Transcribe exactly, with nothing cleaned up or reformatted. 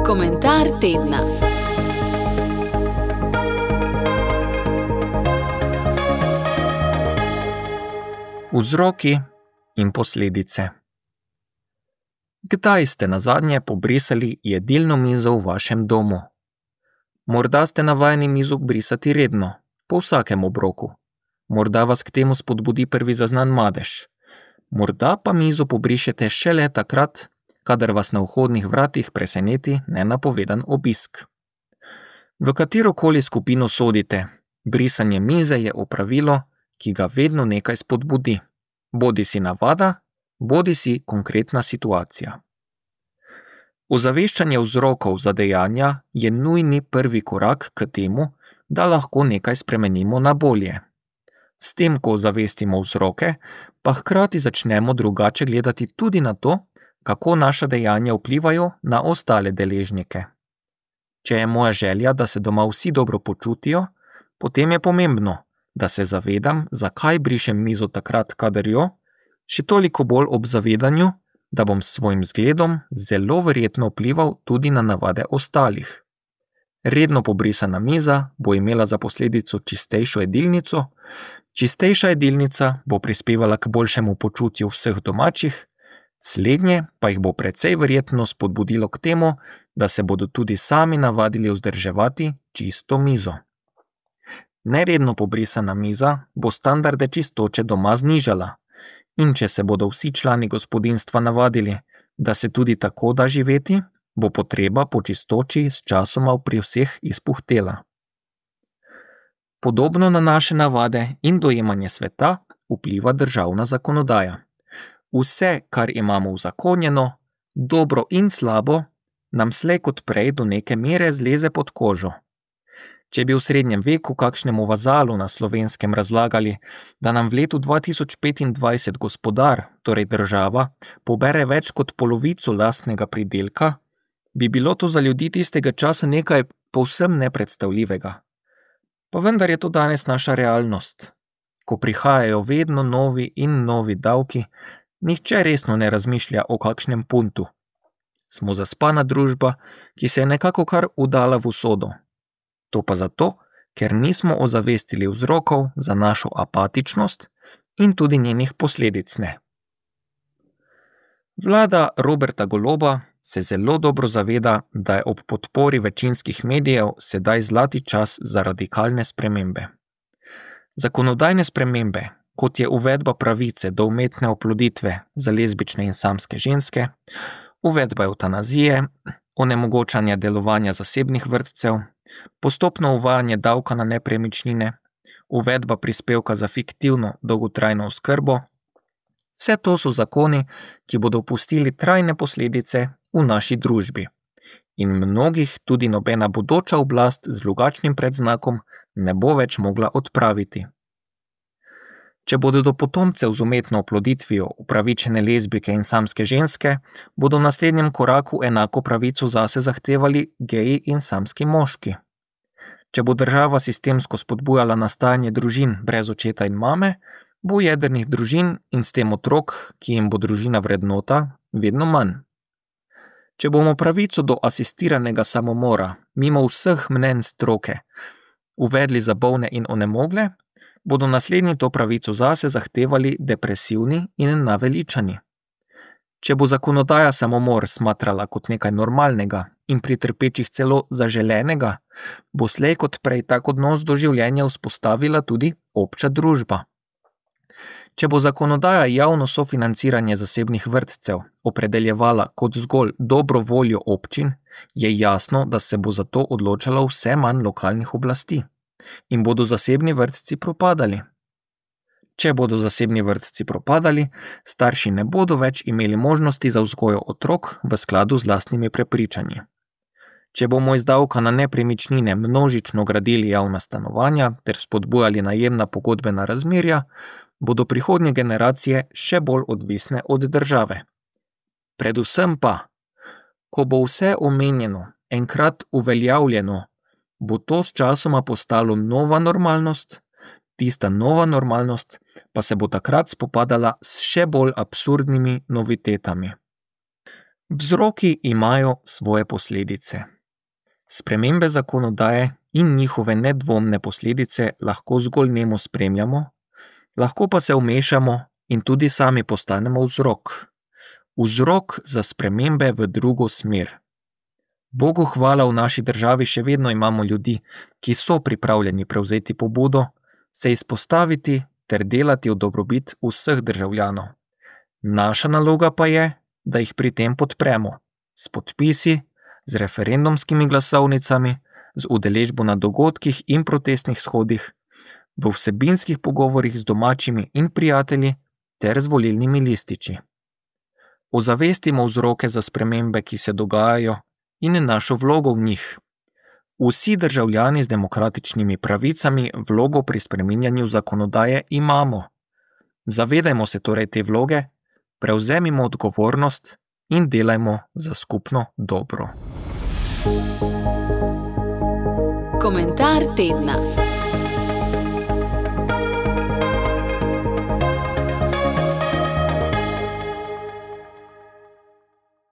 Komentar tedna. Vzroki in posledice. Kdaj ste nazadnje pobrisali jedilno mizo v vašem domu? Morda ste navajeni mizo brisati redno, po vsakem obroku. Morda vas k temu spodbudi prvi zaznan madež. Morda pa mizo pobrišete šele takrat, kadar vas na vhodnih vratih preseneti nenapovedan obisk. V katerokoli skupino sodite, brisanje mize je opravilo, ki ga vedno nekaj spodbudi. Bodi si navada, bodi si konkretna situacija. Ozaveščanje vzrokov za dejanja je nujni prvi korak k temu, da lahko nekaj spremenimo na bolje. S tem, ko ozavestimo vzroke, pa hkrati začnemo drugače gledati tudi na to, kako naša dejanja vplivajo na ostale deležnike. Če je moja želja, da se doma vsi dobro počutijo, potem je pomembno, da se zavedam, zakaj brišem mizo takrat, kadar jo, še toliko bolj ob zavedanju, da bom s svojim zgledom zelo verjetno vplival tudi na navade ostalih. Redno pobrisana miza bo imela za posledico čistejšo jedilnico, čistejša jedilnica bo prispevala k boljšemu počutju vseh domačih, slednje pa jih bo precej verjetno spodbudilo k temu, da se bodo tudi sami navadili vzdrževati čisto mizo. Neredno pobrisana miza bo standarde čistoče doma znižala, in če se bodo vsi člani gospodinjstva navadili, da se tudi tako da živeti, bo potreba po čistoči s časoma pri vseh izpuhtela. Podobno na naše navade in dojemanje sveta vpliva državna zakonodaja. Vse, kar imamo uzakonjeno, dobro in slabo, nam slej kot prej do neke mere zleze pod kožo. Če bi v srednjem veku kakšnemu vazalu na Slovenskem razlagali, da nam v letu dva tisoč petindvajset gospodar, torej država, pobere več kot polovico lastnega pridelka, bi bilo to za ljudi tistega časa nekaj povsem nepredstavljivega. Pa vendar je to danes naša realnost. Ko prihajajo vedno novi in novi davki, nihče resno ne razmišlja o kakšnem puntu. Smo zaspana družba, ki se je nekako kar udala v usodo. To pa zato, ker nismo ozavestili vzrokov za našo apatičnost in tudi njenih posledic ne. Vlada Roberta Goloba se zelo dobro zaveda, da je ob podpori večinskih medijev sedaj zlati čas za radikalne spremembe. Zakonodajne spremembe, kot je uvedba pravice do umetne oploditve za lezbične in samske ženske, uvedba evtanazije, onemogočanje delovanja zasebnih vrtcev, postopno uvajanje davka na nepremičnine, uvedba prispevka za fiktivno dolgotrajno oskrbo. Vse to so zakoni, ki bodo pustili trajne posledice v naši družbi. In mnogih tudi nobena bodoča oblast z drugačnim predznakom ne bo več mogla odpraviti. Če bodo do potomcev z umetno oploditvijo upravičene lezbike in samske ženske, bodo v naslednjem koraku enako pravico zase zahtevali geji in samski moški. Če bo država sistemsko spodbujala nastajanje družin brez očeta in mame, bo jedrnih družin in s tem otrok, ki jim bo družina vrednota, vedno manj. Če bomo pravico do asistiranega samomora, mimo vseh mnenj stroke, uvedli za bolne in onemogle, bodo naslednji to pravico zase zahtevali depresivni in naveličani. Če bo zakonodaja samomor smatrala kot nekaj normalnega in pri trpečih celo zaželenega, bo slej kot prej tak odnos do življenja vzpostavila tudi obča družba. Če bo zakonodaja javno sofinanciranje zasebnih vrtcev opredeljevala kot zgolj dobro voljo občin, je jasno, da se bo za to odločalo vse manj lokalnih oblasti in bodo zasebni vrtci propadali. Če bodo zasebni vrtci propadali, starši ne bodo več imeli možnosti za vzgojo otrok v skladu z lastnimi prepričanji. Če bomo iz davka na nepremičnine množično gradili javna stanovanja ter spodbujali najemna pogodbena razmerja, bodo prihodnje generacije še bolj odvisne od države. Predvsem pa, ko bo vse omenjeno enkrat uveljavljeno, bo to s časoma postalo nova normalnost, tista nova normalnost pa se bo takrat spopadala s še bolj absurdnimi novitetami. Vzroki imajo svoje posledice. Spremembe zakonodaje in njihove nedvomne posledice lahko zgolj nemo spremljamo, lahko pa se vmešamo in tudi sami postanemo vzrok. Vzrok za spremembe v drugo smer. Bogu hvala, v naši državi še vedno imamo ljudi, ki so pripravljeni prevzeti pobudo, se izpostaviti ter delati v dobrobit vseh državljanov. Naša naloga pa je, da jih pri tem podpremo, s podpisi, z referendumskimi glasovnicami, z udeležbo na dogodkih in protestnih shodih, v vsebinskih pogovorih z domačimi in prijatelji ter z volilnimi lističi. Ozavestimo vzroke za spremembe, ki se dogajajo, in našo vlogo v njih. Vsi državljani z demokratičnimi pravicami vlogo pri spreminjanju zakonodaje imamo. Zavedajmo se torej te vloge, prevzemimo odgovornost in delajmo za skupno dobro. Komentar tedna.